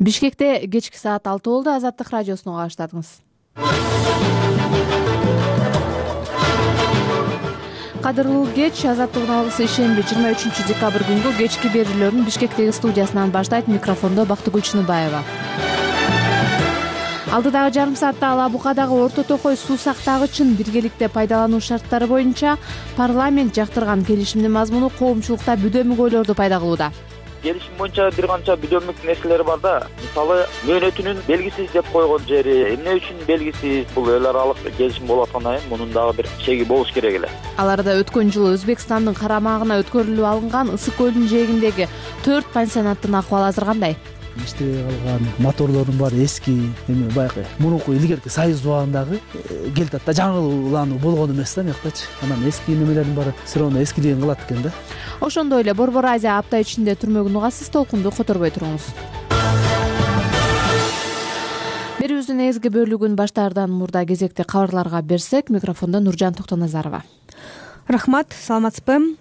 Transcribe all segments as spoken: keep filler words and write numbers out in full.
Бишкекте кечки саат алты болду. Азаттык радиосуна кабаштадыңыз. Кадырлуу кеч. Азаттыктын алгысы ишемби жыйырма үчүнчү декабрь күнгү кечки берүүлөрүн Бишкектеги студиясынан баштайт. Микрофондо Бактыгүл Чыныбаева. Алдыдагы жарым саатта Ала Букадагы Орто Токой суу сактагычын биргеликте пайдалануу шарттары боюнча парламент жактырган келишимдин мазмуну коомчулукта бүдөмүк ойлорду пайда кылууда. Келишим боюнча бир канча бүдөмүк нерселер бар да. Мисалы, мөөнөтүнүн белгисиз деп койгон жери, эмне үчүн белгисиз, бул эл аралык келишим болуп аткандан кийин мунун дагы бир чеги болуш керек эле. Аларда өткөн жылы Өзбекстандын карамагына өткөрүлүп алынган Ысык көлдүн жээгиндеги төрт пансионаттын акыбалы азыр кандай? Иштебей калган моторлордун баары эски, эме баягы мурунку илгерки Союз убагындагы келтатта жаңылануу болгон эмес да мыяктачы. Анан эски немелердин баары все равно эскилигин кылат экен да. Ошондой эле Борбор Азия апта ичинде түрмөгүн угасыз, толкунду которбой туруңуз. Берүүбүздүн негизги бөлүгүн баштаардан мурда кезекти кабарларга берсек, микрофондо Нуржан Токтоназарова. Рахмат, саламатсызбы?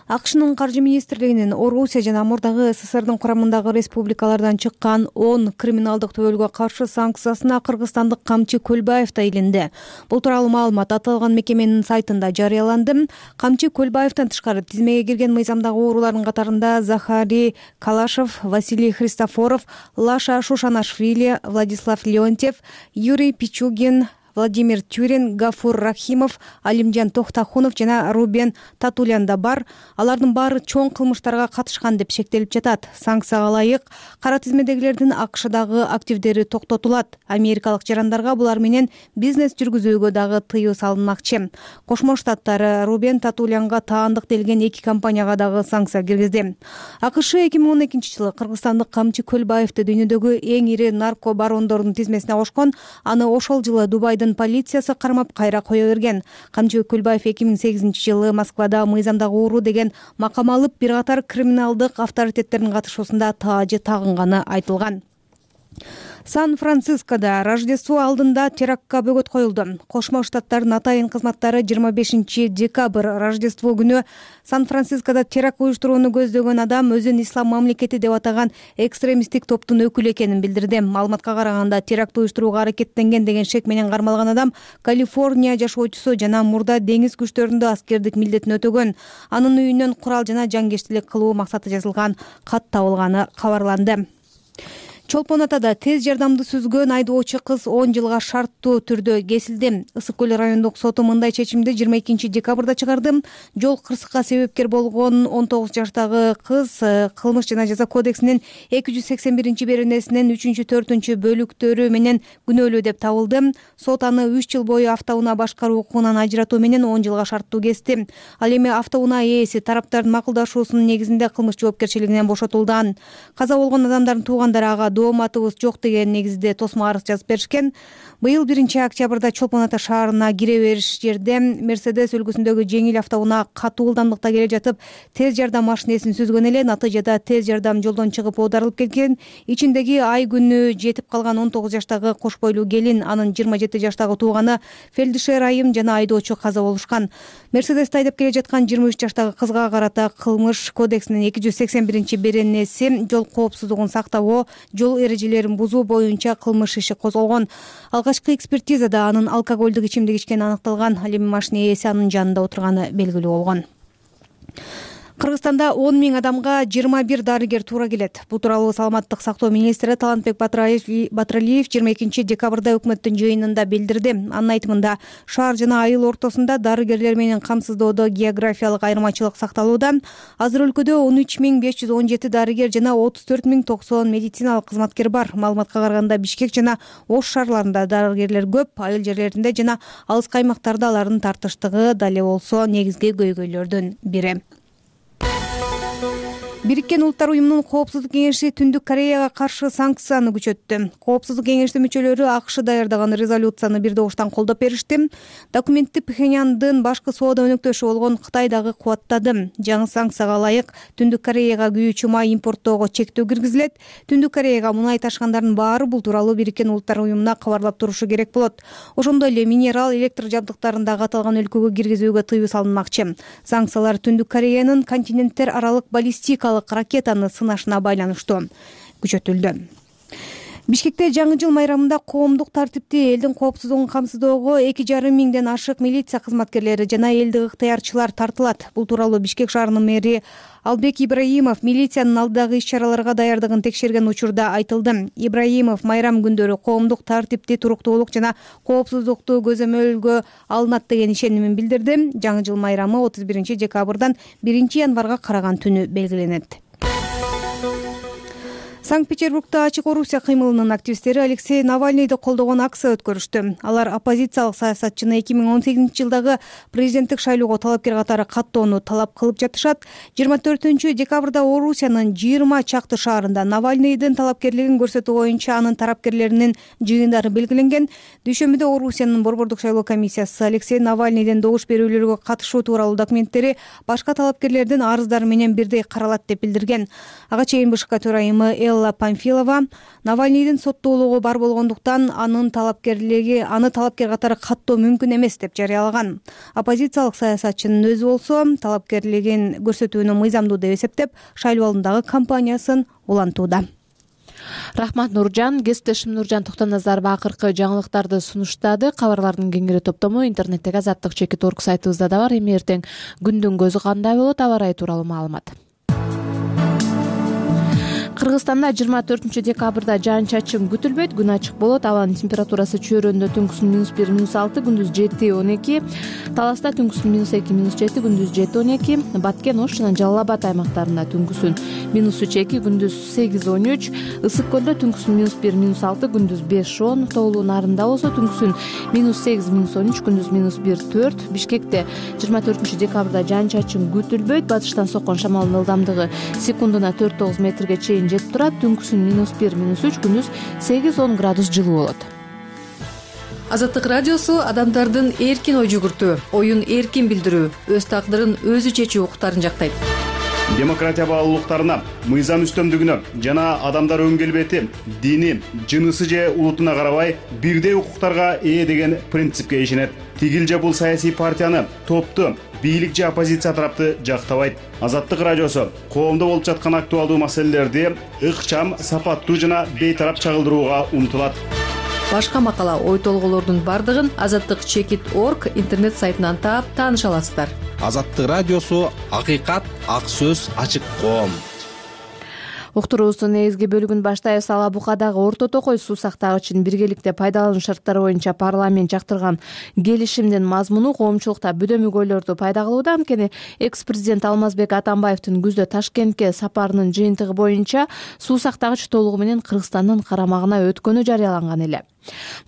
АКШнын каржы министрлигинин Орусия жана мурдагы СССРдин курамындагы республикалардан чыккан он криминалдык төбөлгө каршы санкциясына кыргызстандык Камчы Көлбаев да илинди. Бул тууралуу маалымат аталган мекеменин сайтында жарыяланды. Камчы Көлбаевден тышкары тизмеге кирген мыйзамдагы оорулардын катарында Захарий Калашев, Василий Христофоров, Лаша Шушанашвили, Владислав Леонтьев, Юрий Пичугин, Владимир Тюрин, Гафур Рахимов, Алимжан Тохтахунов жана Рубен Татулян да бар. Алардын баары чоң кылмыштарга катышкан деп шектелип жатат. Санкцияга ылайык кара тизмедегилердин АКШдагы активдери токтотулат. Америкалык жарандарга булар менен бизнес жүргүзүүгө дагы тыюу салынмакчы. Кошмо Штаттар Рубен Татулянга таандык делген эки компанияга дагы санкция киргизди. АКШ эки миң он экинчи жылы кыргызстандык Камчы Көлбаевди дүйнөдөгү эң ири нарко барондордун тизмесине кошкон. Аны ошол жылы Дубайдын полициясы кармап кайра кое берген. Камчы Көлбаев эки миң сегизинчи жылы Москвада мыйзамдагы ууру деген макам алып, бир катар криминалдык авторитеттердин катышуусунда таажы тагынганы айтылган. Сан-Францискодо Рождество алдында терактка бөгөт коюлду. Кошмо Штаттардын атайын кызматтары жыйырма бешинчи декабрь Рождество күнү Сан-Францискодо теракт уюштурууну көздөгөн адам өзүн ислам мамлекети деп атаган экстремисттик топтун өкүлү экенин билдирди. Маалыматка караганда теракт уюштурууга аракеттенген деген шек менен кармалган адам Калифорния жашоочусу жана мурда деңиз күчтөрүндө аскердик милдетин өтөгөн. Анын үйүнөн курал жана жангештилик кылуу максаты жазылган кат табылганы кабарланды. Чолпон Атада тез жардамды сүзгөн айдоочу кыз он жылга шарттуу түрдө кесилди. Ысык көл райондук соту мындай чечимди жыйырма экинчи декабрда чыгарды. Жол кырсыкка себепкер болгон он тогуз жаштагы кыз кылмыш жана жаза кодексинин эки жүз сексен биринчи беренесинин үчүнчү төртүнчү бөлүктөрү менен күнөөлүү деп табылды. Сот аны үч жыл бою автоунаа башкаруу укугунан ажыратуу менен он жылга шарттуу кести. Ал эми автоунаа ээси тараптардын макулдашуусунун негизинде кылмыш жоопкерчилигинен бошотулган. Каза болгон адамдардын туугандары ага дооматыбыз жок деген негизде тосмо арыз жазып беришкен. Быйыл биринчи октябрда Чолпон Ата шаарына кире бериш жерде Мерседес үлгүсүндөгү жеңил автоунаа катуу ылдамдыкта келе жатып, тез жардам машинесин сүзгөн эле. Натыйжада тез жардам жолдон чыгып оодарылып кеткен. Ичиндеги ай күнү жетип калган он тогуз жаштагы кош бойлуу келин, анын жыйырма жети жаштагы тууганы, фельдшер айым жана айдоочу каза болушкан. Мерседести айдап келе жаткан жыйырма үч жаштагы кызга карата кылмыш кодексинин эки жүз сексен биринчи беренеси жол коопсуздугун сактабоо, жол эрежелерин бузуу боюнча кылмыш иши козголгон. Алгачкы экспертизада анын алкоголдук ичимдик ичкени аныкталган. Ал эми машина ээси анын жанында отурганы белгилүү болгон. Кыргызстанда он миң адамга жыйырма бир дарыгер туура келет. Бул тууралуу саламаттык сактоо министри Талантбек Батыралиев жыйырма экинчи декабрда өкмөттүн жыйынында билдирди. Анын айтымында, шаар жана айыл ортосунда дарыгерлер менен камсыздоодо географиялык айырмачылык сакталууда. Азыр өлкөдө он үч миң беш жүз он жети дарыгер жана отуз төрт миң токсон медициналык кызматкер бар. Маалыматка караганда Бишкек жана Ош шаарларында дарыгерлер көп, айыл жерлеринде жана алыскы аймактарда алардын тартыштыгы дале болсо негизги көйгөйлөрдүн бири. Бириккен Улуттар уюмунун Коопсуздук кеңеши Түндүк Кореяга каршы санкцияны күчөттү. Коопсуздук кеңештин мүчөлөрү АКШ даярдаган резолюцияны бир добуштан колдоп беришти. Документти Пхеньяндын башкы соода өнөктөшү болгон Кытай дагы кубаттады. Жаңы санкцияга ылайык Түндүк Кореяга күйүүчү май импорттоого чектөө киргизилет. Түндүк Кореяга мунай ташкандардын баары бул тууралуу Бириккен Улуттар уюмуна кабарлап турушу керек болот. Ошондой эле минерал электр жабдыктарын дагы аталган өлкөгө киргизүүгө тыюу салынмакчы. Санкциялар Түндүк Кореянын континенттер аралык баллистикалык ракетаны сынашына байланыштуу күчөтүлдү. Бишкекте жаңы жыл майрамында коомдук тартипти, элдин коопсуздугун камсыздоого эки жарым миңден ашык милиция кызматкерлери жана элдик ыктыярчылар тартылат. Бул тууралуу Бишкек шаарынын мэри Албек Ибраимов милициянын алдыдагы иш-чараларга даярдыгын текшерген учурда айтылды. Ибраимов майрам күндөрү коомдук тартипти, туруктуулук жана коопсуздукту көзөмөлгө алынат деген ишенимин билдирди. Жаңы жыл майрамы отуз биринчи декабрдан биринчи январга караган түнү белгиленет. Санкт-Петербургда Ачык Орусия кыймылынын активисттери Алексей Навальныйды колдогон акция өткөрүштү. Алар оппозициялык саясатчыны эки миң он сегизинчи жылдагы президенттик шайлоого талапкер катары каттоону талап кылып жатышат. жыйырма төртүнчү декабрда Орусиянын жыйырма чакты шаарында Навальныйдын талапкерлигин көрсөтүү боюнча анын тарапкерлеринин жыйындары белгиленген. Дүйшөмбүдө Орусиянын борбордук шайлоо комиссиясы Алексей Навальныйдын добуш берүүлөргө катышуу тууралуу документтери башка талапкерлердин арыздары менен бирдей каралат деп билдирген. Ага чейин БШК төрайымы Элла Памфилова Навальныйдын соттуулугу бар болгондуктан анын талапкерлиги аны талапкер катары каттоо мүмкүн эмес деп жарыялаган. Оппозициялык саясатчынын өзү болсо талапкерлигин көрсөтүүнү мыйзамдуу деп эсептеп, шайлоо алдындагы кампаниясын улантууда. Рахмат Нуржан. Кесиптешим Нуржан Токтоназаров акыркы жаңылыктарды сунуштады. Кабарлардын кеңири топтому интернеттеги азаттык чекит орг сайтыбызда да бар. Эми эртең күндүн көзү кандай болот, аба ырайы тууралуу маалымат. Кыргызстанда жыйырма төртүнчү декабрда жаан-чачын күтүлбөйт, күн ачык болот. Абанын температурасы чөйрөндө түнкүсүн минус бир, минус алты, күндүз жети, он эки, Таласта түнкүсүн минус эки, минус жети, күндүз жети, он эки, Баткен, Ош жана Жалал Абад аймактарында түнкүсүн минус үч, эки, күндүз сегиз, он үч, Ысык көлдө түнкүсүн минус бир, минус алты, күндүз беш, он, Тоолуу Нарында болсо түнкүсүн минус сегиз, минус он үч, күндүз минус бир, төрт. Бишкекте жыйырма төртүнчү декабрда жаан-чачын күтүлбөйт. Батыштан соккон шамалдын ылдамдыгы секундуна төрт тогуз метрге чейин жетип турат. Түнкүсүн минус бир, минус үч, күндүз сегиз, он градус жылуу болот. Азаттык радиосу адамдардын эркин ой жүгүртүү, оюн эркин билдирүү, өз тагдырын өзү чечүү укуктарын жактайт. Демократия баалуулуктарына, мыйзам үстөмдүгүнө жана адамдар өн келбети, дини, жынысы же улутуна карабай бирдей укуктарга ээ деген принципке ишенет. Тигил же бул саясий партияны, топту, бийлик же оппозиция тарапты жактабайт. Азаттык радиосу коомдо болуп жаткан актуалдуу маселелерди ыкчам, сапаттуу жана бейтарап чагылдырууга умтулат. Башка макала, ой толгоолордун бардыгын азаттык чекит орг интернет сайтынан таап тааныша аласыздар. Азаттык радиосу акыйкат, ак сөз, ачык коом. Уктуруубуздун негизги бөлүгүн баштайбыз. Ала Букадагы орто токой суу сактагычын биргеликте пайдалануу шарттары боюнча парламент жактырган келишимдин мазмуну коомчулукта бөдөмөгөйлөрдү пайда кылууда. Анткени экс-президент Алмазбек Атамбаевдин күздө Ташкентке сапарынын жыйынтыгы боюнча суу сактагыч толугу менен Кыргызстандын карамагына өткөнү жарыяланган эле.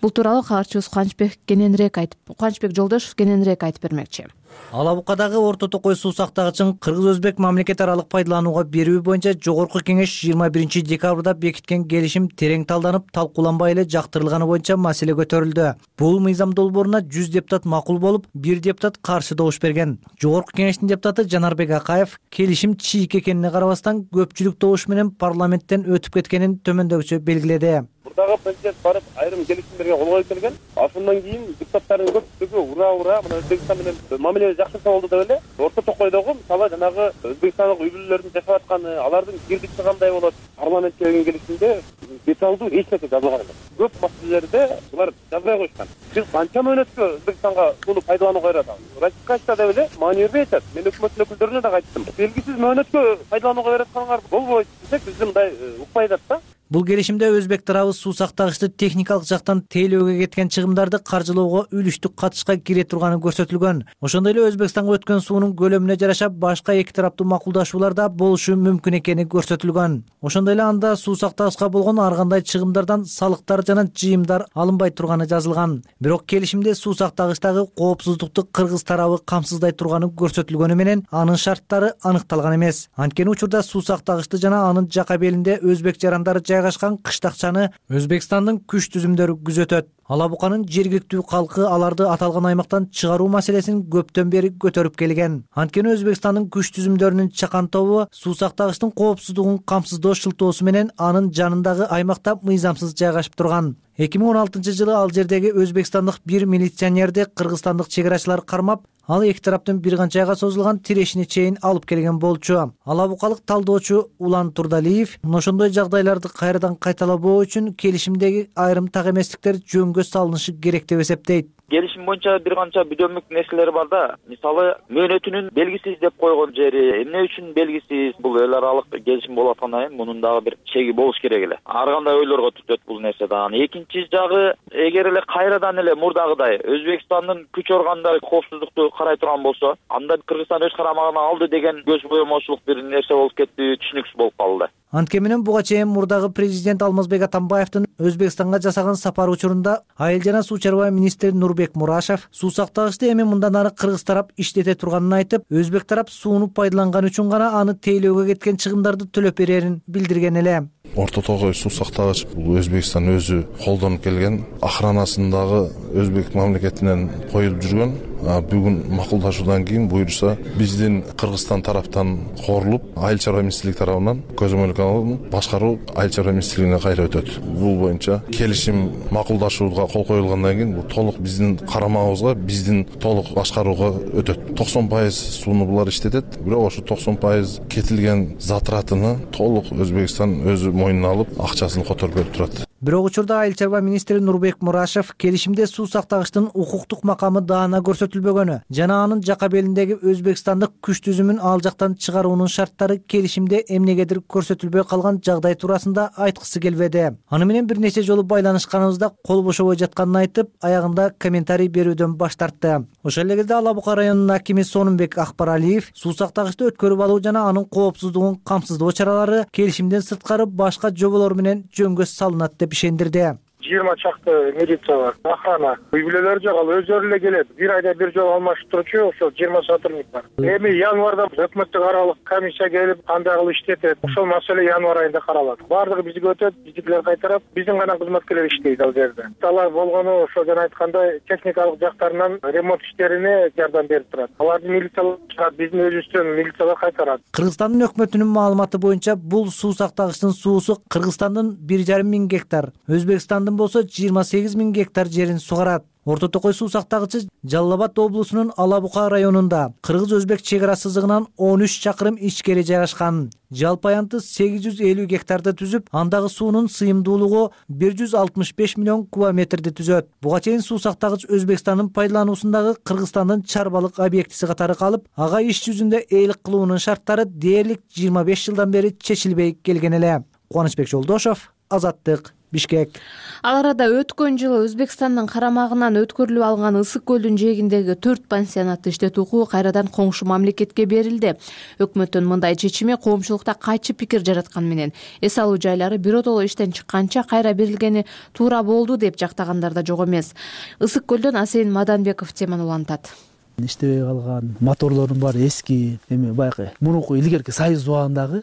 Бул тууралуу кабарчыбыз Кубанычбек кененирээк айтып, Кубанычбек Жолдошов кененирээк айтып бермекчи. Ала Букадагы орто токой суу сактагычын кыргыз-өзбек мамлекет аралык пайдаланууга берүү боюнча жогорку кеңеш жыйырма биринчи декабрда бекиткен келишим терең талданып, талкууланбай эле жактырылганы боюнча маселе көтөрүлдү. Бул мыйзам долбооруна жүз депутат макул болуп, бир депутат каршы добуш берген. Жогорку кеңештин депутаты Жанарбек Акаев келишим чийик экенине карабастан көпчүлүк добуш менен парламенттен өтүп кеткенин төмөндөгүчө белгиледи. Мурдагы президент барып айрым келишимдерге кол коюп келген. Ошондон кийин депутаттардын көпчүлүгү ура ура мына Өзбекстан менен мамиле жакшырса болду деп эле. Орто токойдогу мисалы жанагы өзбекстандык үй бүлөлөрдүн жашап атканы, алардын кирдикти кандай болот, парламентке келген келишимде деталдуу эч нерсе жазылган эмес. Көп маселелерде булар жазбай коюшкан. Биз канча мөөнөткө Өзбекстанга сууну пайдаланууга беребиз? Ратификация деп эле маани бербей атат. Мен өкмөт өкүлдөрүнө да айттым. Белгисиз мөөнөткө пайдаланууга берип атканыңар болбойт десек, биз мындай укпай атат да. Бул келишимде өзбек тарабы суу сактагычты техникалык жактан тейлөөгө кеткен чыгымдарды каржылоого үлүштүк катышка кире турганы көрсөтүлгөн. Ошондой эле Өзбекстанга өткөн суунун көлөмүнө жараша башка эки тараптуу макулдашуулар да болушу мүмкүн экени көрсөтүлгөн. Ошондой эле анда суу сактагычка болгон ар кандай чыгымдардан салыктар жана жыйымдар алынбай турганы жазылган. Бирок келишимде суу сактагычтагы коопсуздукту кыргыз тарабы камсыздай турганы көрсөтүлгөнү менен анын шарттары аныкталган эмес. Анткени учурда суу сактагычты жана анын жака белинде өзбек жарандары жайгашкан кыштакчаны Өзбекстандын күч түзүмдөрү күзөтөт. Ала Буканын жергиликтүү калкы аларды аталган аймактан чыгаруу маселесин көптөн бери көтөрүп келген. Анткени Өзбекстандын күч түзүмдөрүнүн чакан тобу суу сактагычтын коопсуздугун камсыздоо шылтоосу менен анын жанындагы аймакта мыйзамсыз жайгашып турган. эки миң он алтынчы жылы ал жердеги өзбекстандык бир милиционерди кыргызстандык чек арачылар кармап, ал эки тараптын бир канча айга созулган тирешине чейин алып келген болчу. Алабукалык талдоочу Улан Турдалиев ошондой жагдайларды кайрадан кайталабоо үчүн келишимдеги айрым так эместиктер жөнгө салынышы керек деп эсептейт. Келишим боюнча бир канча бүдөмдүк нерселер бар да. Мисалы, мөөнөтүнүн белгисиз деп койгон жери эмне үчүн белгисиз? Бул эл аралык келишим болуп аткандан кийин мунун дагы бир чеги болуш керек эле. Ар кандай ойлорго түтөт бул нерсе да. Экинчи жагы, эгер эле кайрадан эле мурдагыдай Өзбекстандын күч органдары коопсуздукту карай турган болсо, анда Кыргызстан өз карамагына алды деген көз боемочулук бир нерсе болуп кетти, түшүнүксүз болуп калды. Антке менен буга чейин мурдагы президент Алмазбек Атамбаевдин Өзбекстанга жасаган сапары учурунда айыл жана суу чарба министри Нурбек Мурашев суу сактагычты эми мындан ары кыргыз тарап иштете турганын айтып, өзбек тарап сууну пайдаланган үчүн гана аны тейлөөгө кеткен чыгымдарды төлөп берерин билдирген эле. Орто Тогой суу сактагыч бул Өзбекстан өзү колдонуп келген, охранасындагы Өзбек мамлекетинен коюлуп жүргөн. Бүгүн макулдашуудан кийин буюрса биздин Кыргызстан тараптан корулуп, айыл чарба министрлиги тарабынан көзөмөлгө башкаруу айыл чарба министрлигине кайра өтөт. Бул боюнча келишим макулдашууга кол коюлгандан кийин бул толук биздин карамагыбызга, биздин толук башкарууга өтөт. токсон пайыз сууну булар иштетет, бирок ошо токсон пайыз кетилген затратыны толук Өзбекстан өзү мойнуна алып, акчасын которуп берип турат. Бирок учурда айыл чарба министри Нурбек Мурашев келишимде суу сактагычтын укуктук макамы даана көрсөтүлбөгөнү жана анын жака белиндеги өзбекстандык күч түзүмүн ал жактан чыгаруунун шарттары келишимде эмнегедир көрсөтүлбөй калган жагдай туурасында айткысы келбеди. Аны менен бир нече жолу байланышканыбызда кол бошобой жатканын айтып, аягында комментарий берүүдөн баш тартты. Ошол эле кезде Алабука районунун акими Сонумбек Акбаралиев суу сактагычты өткөрүп алуу жана анын коопсуздугун камсыздоо чаралары келишимден сырткары башка жоболор менен жөнгө салынат деп ишендирди. жыйырма чакты милиция бар, охрана. Үй бүлөлөр жок, ал өздөрү эле келет. Бир айда бир жолу алмашып турчу, ошол жыйырма сотрудник бар. Эми январда өкмөттүк аралык комиссия келип, кандай кылып иштетет, ошол маселе январ айында каралат. Бардыгы бизге өтөт, биздикилер кайтарат, биздин гана кызматкерлер иштейт ал жерде. Алар болгону ошо жана айткандай техникалык жактарынан ремонт иштерине жардам берип турат. Аларды милициялар чыгат, биздин өзүбүздөн милициялар кайтарат. Кыргызстандын өкмөтүнүн маалыматы боюнча бул суу сактагычтын суусу Кыргызстандын бир жарым миң гектар, Өзбекстандын болсо жыйырма сегиз миң гектар жерин сугарат. Орто Токой суу сактагычы Жалал Абад облусунун Алабука районунда кыргыз-өзбек чек ара сызыгынан он үч чакырым ичкери жайгашкан. Жалпы аянты сегиз жүз элүү гектарды түзүп, андагы суунун сыйымдуулугу бир жүз алтымыш беш миллион кубометрди түзөт. Буга чейин суу сактагыч Өзбекстандын пайдалануусундагы Кыргызстандын чарбалык объектиси катары калып, ага иш жүзүндө ээлик кылуунун шарттары дээрлик жыйырма беш жылдан бери чечилбей келген эле. Кубанычбек Жолдошов, Азаттык, Бишкек. Ал арада өткөн жылы Өзбекстандын карамагынан өткөрүлүп алган Ысык көлдүн жээгиндеги төрт пансионатты иштетүү укугу кайрадан коңшу мамлекетке берилди. Өкмөттүн мындай чечими коомчулукта кайчы пикир жараткан менен эс алуу жайлары биротоло иштен чыкканча кайра берилгени туура болду деп жактагандар да жок эмес. Ысык көлдөн Асейин Маданбеков теманы улантат. Иштебей калган моторлордун баары эски, эми баягы мурунку илгерки союз убагындагы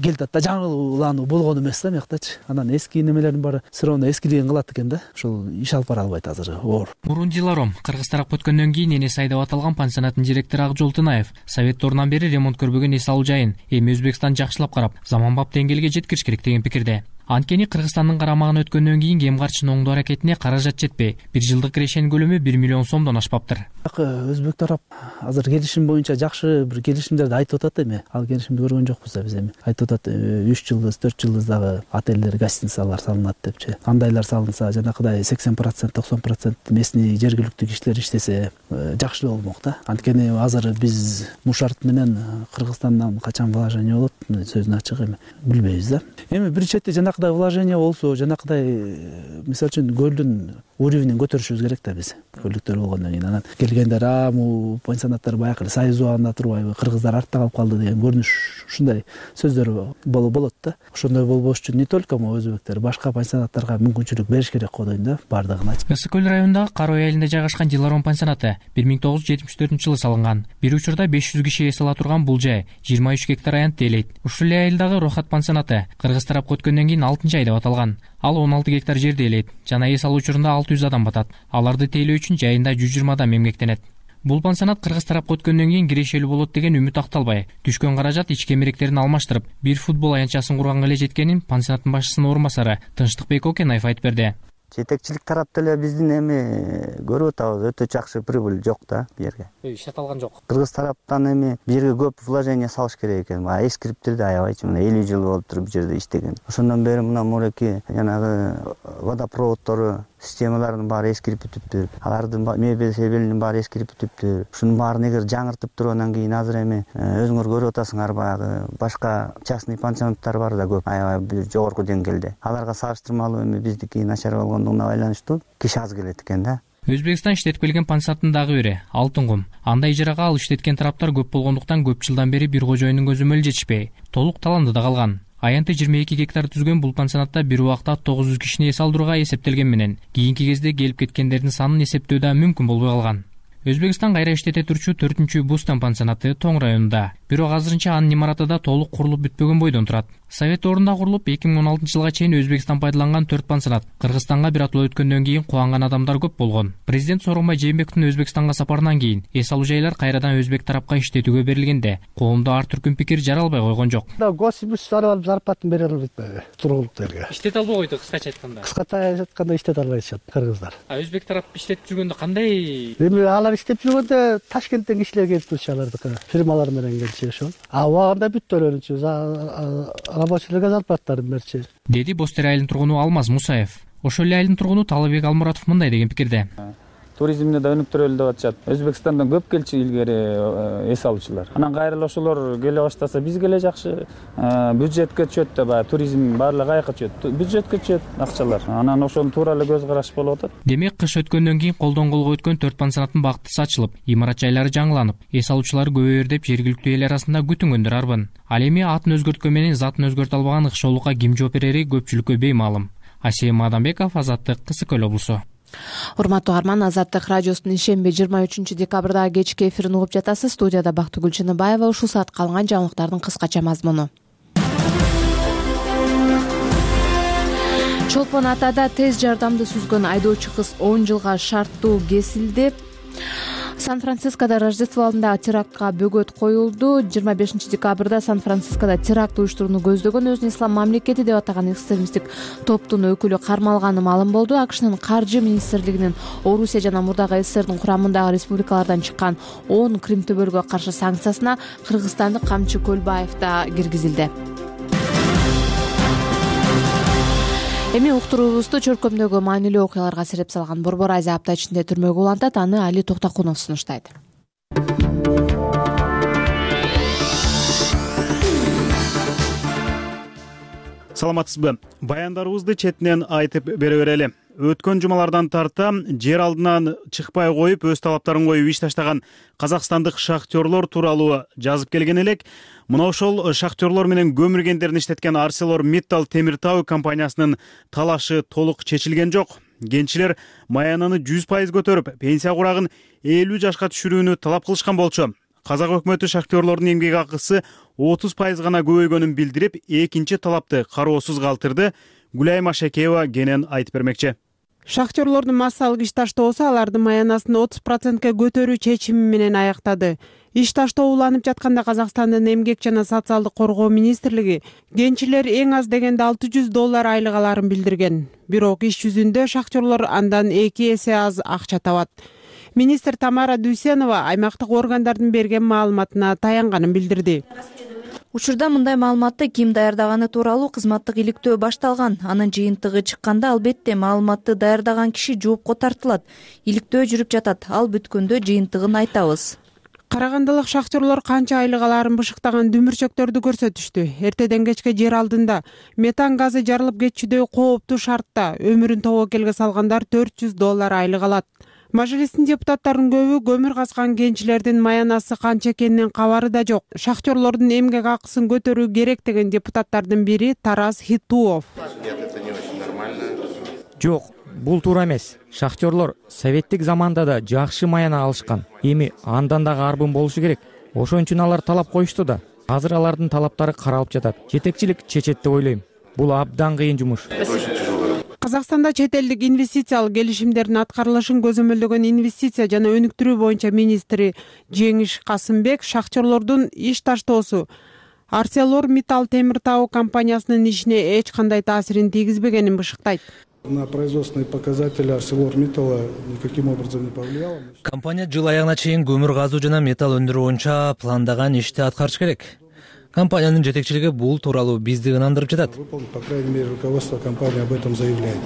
келтатта жаңылануу болгон эмес да мыяктачы. Анан эски немелердин баары сыроонда эскилигин кылат экен да. Ошол иш алып бара албайт азыр оор. Мурун Диларом кыргыз тарап өткөндөн кийин энеси айдап аталган пансионаттын директору Акжол Тынаев советторунан бери ремонт көрбөгөн эс алуу жайын эми Өзбекстан жакшылап карап, заманбап деңгээлге жеткириш керек деген пикирде. Анткени Кыргызстандын карамагына өткөндөн кийин кем карчынын оңдоо аракетине каражат жетпей, бир жылдык кирешенин көлөмү бир миллион сомдон ашпаптыр. Өзбек тарап азыр келишим боюнча жакшы бир келишимдерди айтып атат эми. Ал келишимди көргөн жокпуз да биз эми. Айтып атат үч жылдыз, төрт жылдыздагы отелдер, гостиницалар салынат депчи. Андайлар салынса, жанакыдай сексен процент, токсон процент местный жергиликтүү кишилер иштесе жакшы болмок да. Анткени азыр биз Мушарт менен Кыргызстандан качан вложение болот, сөзүн ачык эми билбейбиз да. Эми бир чети жанакыдай вложение болсо, жанакыдай мисалы үчүн көлдүн уровенин көтөрүшүбүз керек да биз. Көлдүктөр болгондон кийин анан келгендер а му пансионаттар баягы союз убагында турбайбы, кыргыздар артта калып калды деген көрүнүш ушундай сөздөр болот да. Ошондой болбош үчүн не только мо өзбектер, башка пансионаттарга мүмкүнчүлүк бериш керек го дейм да, бардыгын айтып. Ысык көл районундагы Карой айылында жайгашкан Диларом пансионаты бир миң тогуз жүз жетимиш төртүнчү жылы салынган. Бир учурда беш жүз киши эс ала турган бул жай жыйырма үч гектар аянт ээлейт. Ушул эле айылдагы Рохат пансионаты кыргыз тарапка өткөндөн кийин алтынчы ай деп аталган. Ал он алты гектар жерди ээлейт жана эс алуу учурунда алты жүз адам батат. Аларды тейлөө үчүн жайында жүз жыйырма адам эмгектенет. Бул пансионат кыргыз тарапка өткөндөн кийин кирешелүү болот деген үмүт акталбай, түшкөн каражат ички эмеректерин алмаштырып, бир футбол аянтчасын курганга эле жеткенин пансионаттын башчысынын орун басары Тынчтыкбек Окенаев айтып берди. жетекчилик тарапта эле биздин эми көрүп атабыз, өтө жакшы прибыль жок да бу жерге. Иштете жок. Кыргыз тараптан эми бу жерге көп вложение салыш керек экен. Баягы эскириптерди аябайчы, мына элүү жыл болуп туруп бу жерде иштеген. Ошондон бери мына муреки жанагы водопроводдору системаларынын баары эскирип бүтүптүр. Алардын мебель себелинин баары эскирип бүтүптүр. Ушунун баарын эгер жаңыртып туруп анан кийин азыр эми өзүңөр көрүп атасыңар, баягы башка частный пансионаттар бар да көп, аябай жогорку деңгээлде. Аларга салыштырмалуу эми биздики начар болгондугуна байланыштуу киши аз келет экен да. Өзбекстан иштетип келген пансионаттын дагы бири Алтын кум. Анда ижарага алып иштеткен тараптар көп болгондуктан көп жылдан бери бир кожоюндун көзү мөлжетишпей, толук таландыда калган. Аянты жыйырма эки гектар түзгөн бул пансионатта бир убакта тогуз жүз кишини эс алдырууга эсептелген менен кийинки кезде келип кеткендердин санын эсептөө да мүмкүн болбой калган. Өзбекстан кайра иштете турчу төртүнчү Бустан пансионаты Тоң районунда, бирок азырынча анын имараты да толук курулуп бүтпөгөн бойдон турат. Совет ордунда курулуп эки миң он алтынчы жылга чейин Өзбекстан пайдаланган төрт пансионат. Кыргызстанга бир атуу өткөндөн кийин кубанган адамдар көп болгон. Президент Сооронбай Жээнбековдун Өзбекстанга сапарынан кийин эс алуу жайлар кайрадан өзбек тарапка иштетүүгө берилгенде коомдо ар түркүн пикир жаралбай койгон жок. Госимиш алып зарплатын бере албайт тургулуктарга. Иштете албай койду кыскача айтканда. Кыскача айтканда иштете албайт кыргыздар. А өзбек тарап иштетип жүргөндө кандай? Эми алар иштеп жүргөндө Ташкенттен кишилер келип турчу, алардыкы фирмалар менен келчү ошол. А убагында бүт төлөнчү, рабочийлерге зарплаттарын берчү. Деди Бостер айылынын тургуну Алмаз Мусаев. Ошол эле айылдын тургуну Талабек Алмуратов мындай деген пикирде. Туризмди да өнүктүрөлү деп атышат. Өзбекстандан көп келчү илгери эс алуучулар. Анан кайра ошолор келе баштаса бизге эле жакшы, бюджетке түшөт да, баягы туризм баардыгы каяка түшөт. Бюджетке түшөт акчалар. Анан ошонун туура эле көз караш болуп атат. Демек кыш өткөндөн кийин колдон колго өткөн төрт пансионаттын бактысы ачылып, имарат жайлары жаңыланып, эс алуучулар көбөйөр деп жергиликтүү эл арасында күтүнгөндөр арбын. Ал эми атын өзгөрткөн менен затын өзгөртө албаган ыкшоолукка ким жооп берери көпчүлүккө беймаалым. Асем Адамбеков, Азаттык, Кысык Көл облусу. Урматтуу угарман, Азаттык радиосунун ишемби жыйырма үчүнчү декабрда кечки эфирин угуп жатасыз. Студияда Бактыгүл Чыныбаева. Ушул саатка алынган жаңылыктардын кыскача мазмуну. Чолпон Атада тез жардамды сүзгөн айдоочу кыз он жылга шарттуу кесилди. Сан-Францискодо Рождество алдында терактка бөгөт коюлду. жыйырма бешинчи декабрда Сан-Францискодо теракт уюштурууну көздөгөн өзүн ислам мамлекети деп атаган экстремисттик топтун өкүлү кармалганы маалым болду. АКШнын каржы министрлигинин Орусия жана мурдагы СССРдин курамындагы республикалардан чыккан он Крим төбөлгө каршы санкциясына кыргызстандык Камчы Көлбаев да киргизилди. Эми уктуруубузду чөркөмдөгү маанилүү окуяларга сереп салган Борбор Азия апта ичинде түрмөгө улантат. Аны Али Токтокунов сунуштайт. Саламатсызбы? Баяндарыбызды четинен айтып бере берели. Өткөн жумалардан тарта жер алдынан чыкпай коюп, өз талаптарын коюп иш таштаган казакстандык шахтерлор тууралуу жазып келген элек. Мына ошол шахтерлор менен көмүргендерин иштеткен ArcelorMittal темир тау компаниясынын талашы толук чечилген жок. Кенчилер маянаны жүз пайыз көтөрүп, пенсия курагын элүү жашка түшүрүүнү талап кылышкан болчу. Казак өкмөтү шахтерлордун эмгек акысы отуз пайыз гана көбөйгөнүн билдирип, экинчи талапты кароосуз калтырды. Гүлай Машакеева кенен айтып бермекчи. Шахтерлордун массалык иш таштоосу алардын маянасын отуз процентке көтөрүү чечими менен аяктады. Иш таштоо уланып жатканда Казакстандын эмгек жана социалдык коргоо министрлиги кенчилер эң аз дегенде алты жүз доллар айлык аларын билдирген. Бирок иш жүзүндө шахтерлор андан эки эсе аз акча табат. Министр Тамара Дүйсенова аймактык органдардын берген маалыматына таянганын билдирди. Учурда мындай маалыматты ким даярдаганы тууралуу кызматтык иликтөө башталган. Анын жыйынтыгы чыкканда албетте маалыматты даярдаган киши жоопко тартылат. Иликтөө жүрүп жатат. Ал бүткөндө жыйынтыгын айтабыз. Карагандылык шахтерлор канча айлык аларын бышыктаган дүмүрчөктөрдү көрсөтүштү. Эртеден кечке жер алдында метан газы жарылып кетчүдөй кооптуу шартта өмүрүн тобокелге салгандар төрт жүз доллар айлык алат. Мажлистин депутаттарынын көбү көмүр казган кенчилердин маянасы канча экенинен кабары да жок. Шахтерлордун эмгек акысын көтөрүү керек деген депутаттардын бири Тарас Хитуов. Жок, бул туура эмес. Шахтерлор советтик заманда да жакшы маяна алышкан. Эми андан дагы арбын болушу керек. Ошон үчүн алар талап коюшту да. Азыр алардын талаптары каралып жатат. Жетекчилик чечет деп ойлойм. Бул абдан кыйын жумуш. Казакстанда чет элдик инвестициялык келишимдердин аткарылышын көзөмөлдөгөн инвестиция жана өнүктүрүү боюнча министри Жеңиш Касымбек шахтерлордун иш таштоосу ArcelorMittal темир тау компаниясынын ишине эч кандай таасирин тийгизбегенин бышыктайт. На производственные показатели ArcelorMittal никаким образом не повлияло. Компания жыл аягына чейин көмүр казуу жана металл өндүрүү боюнча пландаган ишти аткарыш керек. Компаниянын жетекчилиги бул тууралуу бизди ынандырып жатат. По крайней мере, руководство компании об этом заявляет.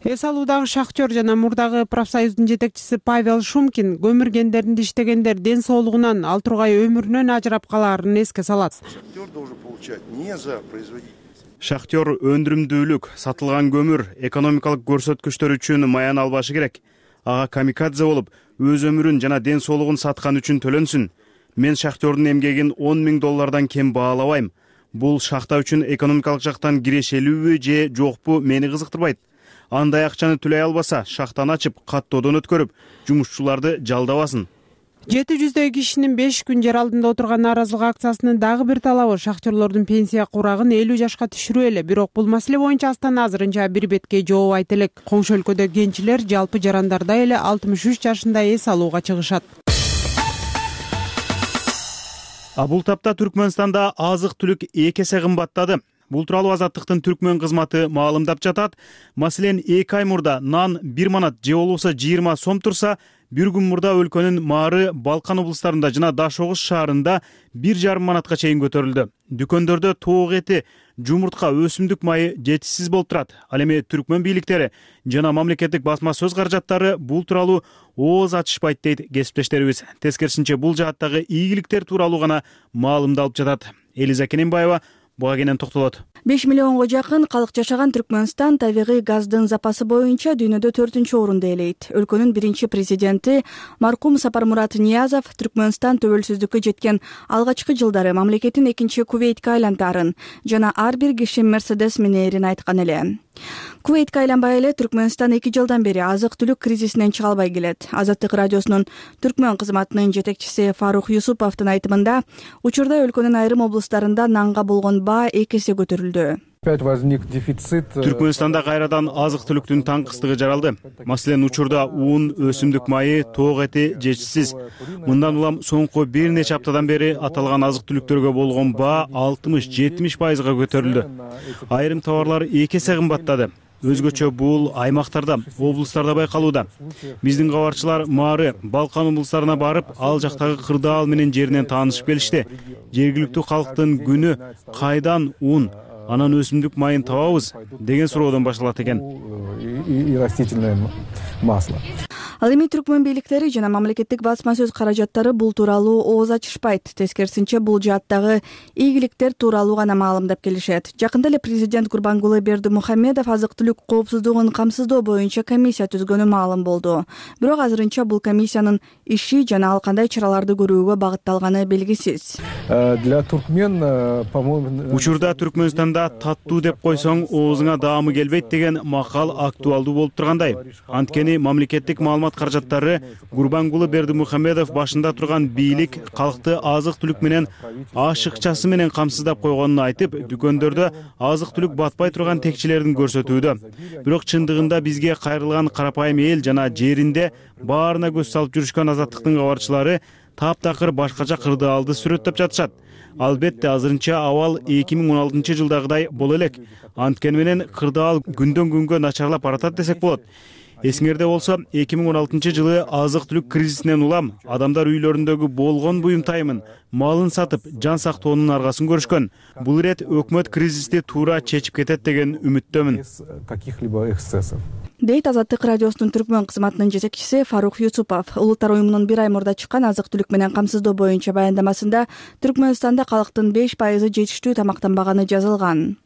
Эс алуудагы шахтер жана мурдагы профсоюздун жетекчиси Павел Шумкин көмүр кендеринде иштегендер ден соолугунан, ал тургай өмүрүнөн ажырап калаарын эске салат. Шахтер должен получать не за производительность. Шахтер өндүрүмдүүлүк, сатылган көмүр, экономикалык көрсөткүчтөр үчүн маян албашы керек. Ага камикадзе болуп, өз өмүрүн жана ден соолугун саткан үчүн төлөнсүн. Мен шахтердин эмгегин он миң доллардан кем баалабайм. Бул шахта үчүн экономикалык жактан кирешелүүбү же жокпу мени кызыктырбайт. Андай акчаны төлөй албаса, шахтаны ачып, каттоодон өткөрүп, жумушчуларды жалдабасын. жети жүздөй кишинин беш күн жер алдында отурган нааразылык акциясынын дагы бир талабы шахтерлордун пенсия курагын элүү жашка түшүрүү эле. Бирок бул маселе боюнча Астана азырынча бир бетке жооп айта элек. Коңшу өлкөдө кенчилер жалпы жарандардай эле алтымыш үч жашында эс алууга чыгышат. А бул тапта Түркмөнстанда азык-түлүк эки эсе кымбаттады. Бул тууралуу Азаттыктын Түркмөн кызматы маалымдап жатат. Маселен, эки ай мурда нан бир манат же болбосо жыйырма сом турса, бир күн мурда өлкөнүн Маары, Балкан облустарында жана Даш Огуз шаарында бир жарым манатка чейин көтөрүлдү. Дүкөндөрдө тоок эти, жумуртка, өсүмдүк майы жетишсиз болуп турат. Ал эми Түркмөн бийликтери жана мамлекеттик басма сөз каражаттары бул тууралуу ооз ачышпайт дейт кесиптештерибиз. Тескерисинче бул жааттагы ийгиликтер тууралуу гана маалымдалып жатат. Элиза Кененбаева буга кенен токтолот. беш миллионго жакын калк жашаган Түркмөнстан табигый газдын запасы боюнча дүйнөдө төртүнчү орунду ээлейт. Өлкөнүн биринчи президенти маркум Сапармурат Ниязов Түркмөнстан төбөлсүздүккө жеткен алгачкы жылдары мамлекеттин экинчи Кувейтке айлантаарын жана ар бир киши Мерседес минээрин айткан эле. Кувейтке айланбай эле Түркмөнстан эки жылдан бери азык-түлүк кризисинен чыга албай келет. Азаттык радиосунун Түркмөн кызматынын жетекчиси Фарух Юсуповдун айтымында, учурда өлкөнүн айрым облустарында нанга болгон баа эки эсе көтөрүлдү. Түркмөнстанда кайрадан азык-түлүктүн таңкыстыгы жаралды. Маселен, учурда ун, өсүмдүк майы, тоок эти жетишсиз. Мындан улам соңку бир нече аптадан бери аталган азык-түлүктөргө болгон баа алтымыш жетимиш пайызга көтөрүлдү. Айрым товарлар эки эсе кымбаттады. Өзгөчө бул аймактарда, облустарда байкалууда. Биздин кабарчылар Маары, Балкан облустарына барып, ал жактагы кырдаал менен жеринен таанышып келишти. Жергиликтүү калктын күнү кайдан ун, анан өсүмдүк майын табабыз деген суроодон башталат экен. И растительное масло. Ал эми Түркмөн бийликтери жана мамлекеттик басма сөз каражаттары бул тууралуу ооз ачышпайт. Тескерисинче бул жааттагы ийгиликтер тууралуу гана маалымдап келишет. Жакында эле президент Гурбангулы Бердимухамедов азык-түлүк коопсуздугун камсыздоо боюнча комиссия түзгөнү маалым болду. Бирок азырынча бул комиссиянын иши жана ал кандай чараларды көрүүгө багытталганы белгисиз. Для туркмен, по-моему, учурда Түркмөнстанда таттуу деп койсоң оозуңа даамы келбейт деген макал актуалдуу болуп тургандай. Анткени мамлекеттик маалымат каражаттары Гурбангулы Бердимухамедов башында турган бийлик калкты азык-түлүк менен ашыкчасы менен камсыздап койгонун айтып, дүкөндөрдө азык-түлүк батпай турган текчелерин көрсөтүүдө. Бирок чындыгында бизге кайрылган карапайым эл жана жеринде баарына көз салып жүрүшкөн Азаттыктын кабарчылары таптакыр башкача кырдаалды сүрөттөп жатышат. Албетте азырынча абал эки миң он алтынчы жылдагыдай боло элек. Анткени менен кырдаал күндөн күнгө начарлап баратат десек болот. Эсиңерде болсо, эки миң он алтынчы жылы азык-түлүк кризисинен улам адамдар үйлөрүндөгү болгон буюмтайымын, малын сатып, жан сактоонун аргасын көрүшкөн. Бул ирет өкмөт кризисти туура чечип кетет деген үмүттөмүн. Каких-либо эксцессов. Дейт Азаттык радиосунун Түркмөн кызматынын жетекчиси Фарух Юсупов. Улуттар уюмунун бир ай мурда чыккан азык-түлүк менен камсыздоо боюнча баяндамасында Түркмөнстанда калктын беш пайызы жетиштүү тамактанбаганы жазылган.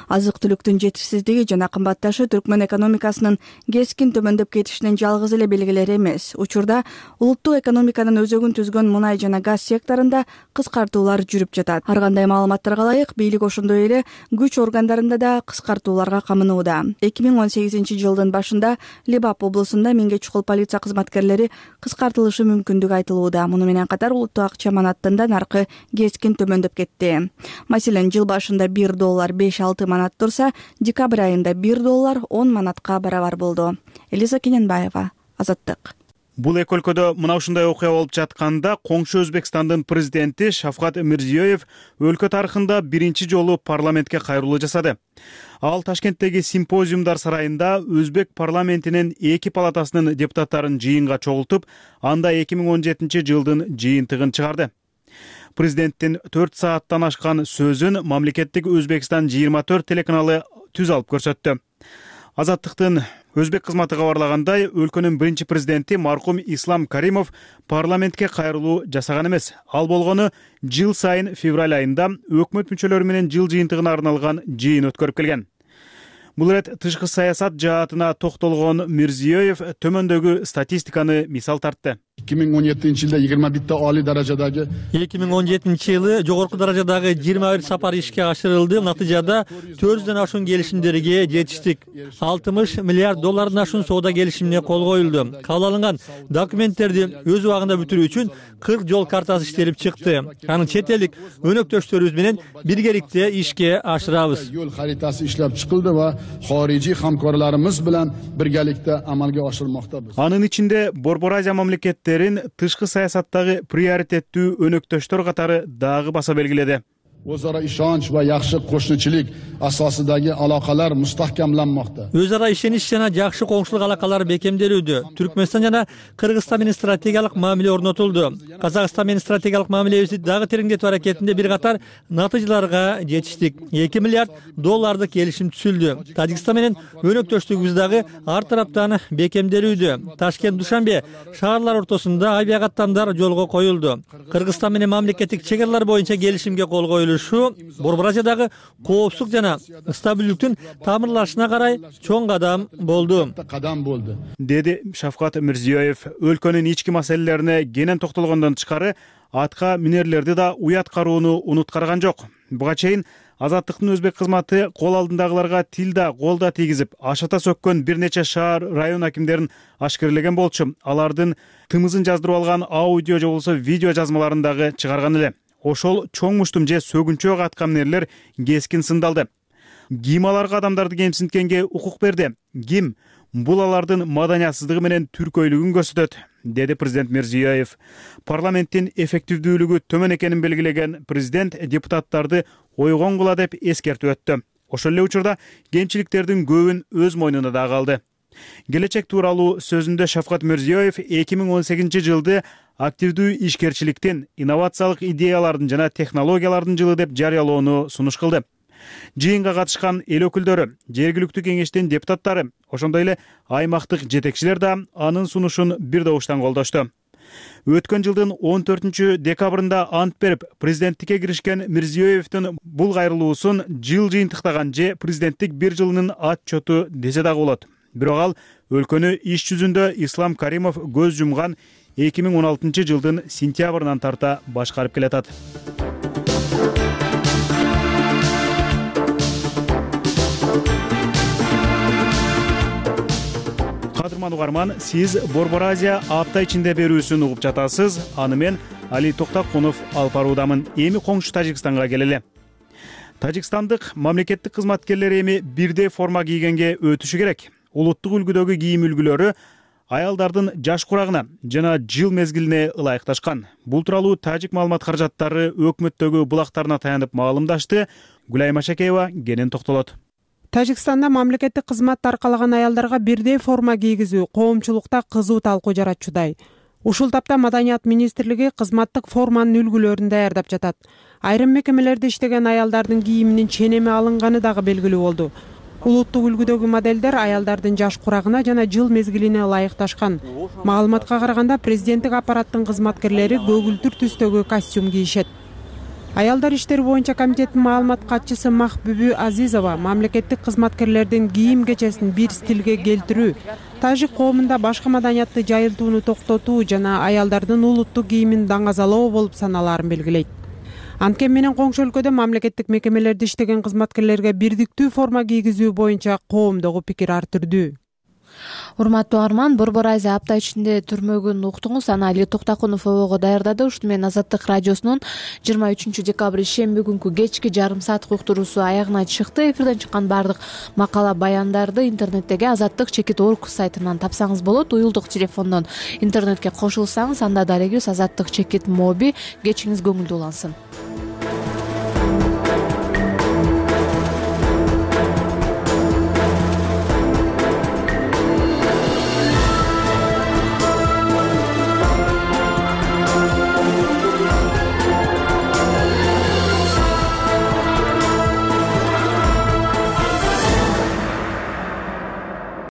Азык-түлүктүн жетишсиздиги жана кымбатташы Түркмөн экономикасынын кескин төмөндөп кетишинин жалгыз эле белгилери эмес. Учурда улуттук экономиканын өзөгүн түзгөн мунай жана газ секторунда кыскартуулар жүрүп жатат. Ар кандай маалыматтарга ылайык, бийлик ошондой эле күч органдарында да кыскартууларга камынууда. эки миң он сегизинчи жылдын башында Лебап облусунда миңге чукул полиция кызматкерлери кыскартылышы мүмкүндүгү айтылууда. Муну менен катар улуттук акча манаттын да наркы кескин төмөндөп кетти. Маселен, жыл башында бир доллар беш алты манат турса, декабрь айында бир доллар он манатка барабар болду. Элиза Кененбаева, Азаттык. Бул эки өлкөдө мына ушундай окуя болуп жатканда коңшу Өзбекстандын президенти Шавкат Мирзиёев өлкө тарыхында биринчи жолу парламентке кайрылуу жасады. Ал Ташкенттеги симпозиумдар сарайында Өзбек парламентинин эки палатасынын депутаттарын жыйынга чогултуп, анда эки миң он жетинчи жылдын жыйынтыгын чыгарды. Президенттин төрт сааттан ашкан сөзүн мамлекеттик Өзбекстан жыйырма төрт телеканалы түз алып көрсөттү. Азаттыктын Өзбек кызматы кабарлагандай, өлкөнүн биринчи президенти маркум Ислам Каримов парламентке кайрылуу жасаган эмес. Ал болгону жыл сайын февраль айында өкмөт мүчөлөрү менен жыл жыйынтыгына арналган жыйын өткөрүп келген. Бул ирет тышкы саясат жаатына токтолгон Мирзиёев төмөндөгү статистиканы мисал тартты. эки миң он жетинчи жылда жыйырма бирте али даражадагы эки миң он жетинчи жылы жогорку даражадагы жыйырма бир сапар ишке ашырылды. Натыйжада төрт жүздөн ашуун келишимдерге жетиштик. алтымыш миллиард доллардан ашуун соода келишимине кол коюлду. Кабыл алынган документтерди өз убагында бүтүрүү үчүн кырк жол картасы иштелип чыкты. Аны чет элдик өнөктөштөрүбүз менен биргеликте ишке ашырабыз. Yo'l xaritasi ishlab chiqildi va xorijiy hamkorlarimiz bilan birgalikda amalga oshirilmoqda. Анын ичинде Борбор Азия мамлекеттери тышкы саясаттагы приоритеттүү өнөктөштөр катары дагы баса белгиледи. O'zaro ishonch va yaxshi qo'shnichilik asosidagi aloqalar mustahkamlanmoqda. Өз ара ишенич жана жакшы коңшулук алакалары бекемделүүдө. Түркмөнстан жана Кыргызстан менен стратегиялык мамиле орнотулду. Казакстан менен стратегиялык мамилебизди дагы тереңдетүү аракетинде бир катар натыйжаларга жетиштик. эки миллиард доллардык келишим түзүлдү. Тажикстан менен өнөктөштүгүбүз дагы ар тараптан бекемделүүдө. Ташкент Душанбе шаарлар ортосунда авиакаттамдар жолго коюлду. Кыргызстан менен мамлекеттик чек аралар боюнча келишимге кол коюлду. Борбор Азиядагы коопсуздук жана стабилдүүлүктүн тамырлашына карай чоң кадам болду. Деди Шавкат Мирзиёев. Өлкөнүн ички маселелерине кенен токтолгондон тышкары атка минерлерди да уят кароону унуткарган жок. Буга чейин Азаттыктын Өзбек кызматы кол алдындагыларга тил да кол да тийгизип, ашата сөккөн бир нече шаар, район акимдерин ашкерлеген болчу. Алардын тымызын жаздырып алган аудио же болбосо видео жазмаларын дагы чыгарган эле. Ошол чоң муштум же сөгүнчө аткамнерлер кескин сындалды. Ким аларга адамдарды кемсинткенге укук берди? Ким? Бул алардын маданиятсыздыгы менен түркөйлүгүн көрсөтөт, деди президент Мирзиёев. Парламенттин эффективдүүлүгү төмөн экенин белгилеген президент депутаттарды ойгон кыла деп эскертип өттү. Ошол эле учурда кемчиликтердин көбүн өз мойнуна да калды. Келечек тууралуу сөзүндө Шавкат Мирзиёев эки миң он сегизинчи жылды активдүү ишкерчиликтин, инновациялык идеялардын жана технологиялардын жылы деп жарыялоону сунуш кылды. Жыйынга катышкан эл өкүлдөрү, жергиликтүү кеңештин депутаттары, ошондой эле аймактык жетекчилер да анын сунушун бир добуштан колдошту. Өткөн жылдын он төртүнчү декабрында ант берип, президенттикке киришкен Мирзиёевдин бул кайрылуусун жыл жыйынтыктаган же президенттик бир жылынын отчету десе дагы болот. Бирок ал өлкөнү иш жүзүндө Ислам Каримов көз жумган эки миң он алтынчы жылдын сентябрынан тарта башкарып келатат. Кадырман угарман, сиз Борбор Азия апта ичинде берүүсүн угуп жатасыз. Аны мен Али Токтакунов алып баруудамын. Эми коңшу Тажикстанга келели. Тажикстандык мамлекеттик кызматкерлер эми бирдей форма кийгенге өтүшү керек. Улуттук үлгүдөгү кийим үлгүлөрү аялдардын жаш курагына жана жыл мезгилине ылайыкташкан. Бул тууралуу тажик маалымат каражаттары өкмөттөгү булактарына таянып маалымдашты. Гүлайма Шакеева кенен токтолот. Тажикстанда мамлекеттик кызматты аркалаган аялдарга бирдей форма кийгизүү коомчулукта кызуу талкуу жаратчудай. Ушул тапта Маданият министрлиги кызматтык форманын үлгүлөрүн даярдап жатат. Айрым мекемелерде иштеген аялдардын кийиминин ченеми алынганы дагы белгилүү болду. Улуттук үлгүдөгү модельдер аялдардын жаш курагына жана жыл мезгилине ылайыкташкан. Маалыматка караганда президенттик аппараттын кызматкерлери көгүлтүр түстөгү костюм кийишет. Аялдар иштери боюнча комитеттин маалымат катчысы Махбүбү Азизова мамлекеттик кызматкерлердин кийим кечесин бир стилге келтирүү, тажик коомунда башка маданиятты жайылтууну токтотуу жана аялдардын улуттук кийимин даңазалоо болуп саналаарын белгилейт. Анткени менен коңшу өлкөдө мамлекеттик мекемелерде иштеген кызматкерлерге бирдиктүү форма кийгизүү боюнча коомдогу пикир ар түрдүү. урматтуу угарман, Борбор Айза апта ичинде түрмөгүн уктуңуз. Аны Али Токтакунов обого даярдады. Ушуну менен Азаттык радиосунун жыйырма үчүнчү декабрь шемби күнкү кечки жарым сааттык уктуруусу аягына чыкты. Эфирден чыккан баардык макала баяндарды интернеттеги азаттык чекит орг сайтынан тапсаңыз болот. Уюлдук телефондон интернетке кошулсаңыз анда дарегибиз азаттык чекит моби. Кечиңиз көңүлдүү улансын.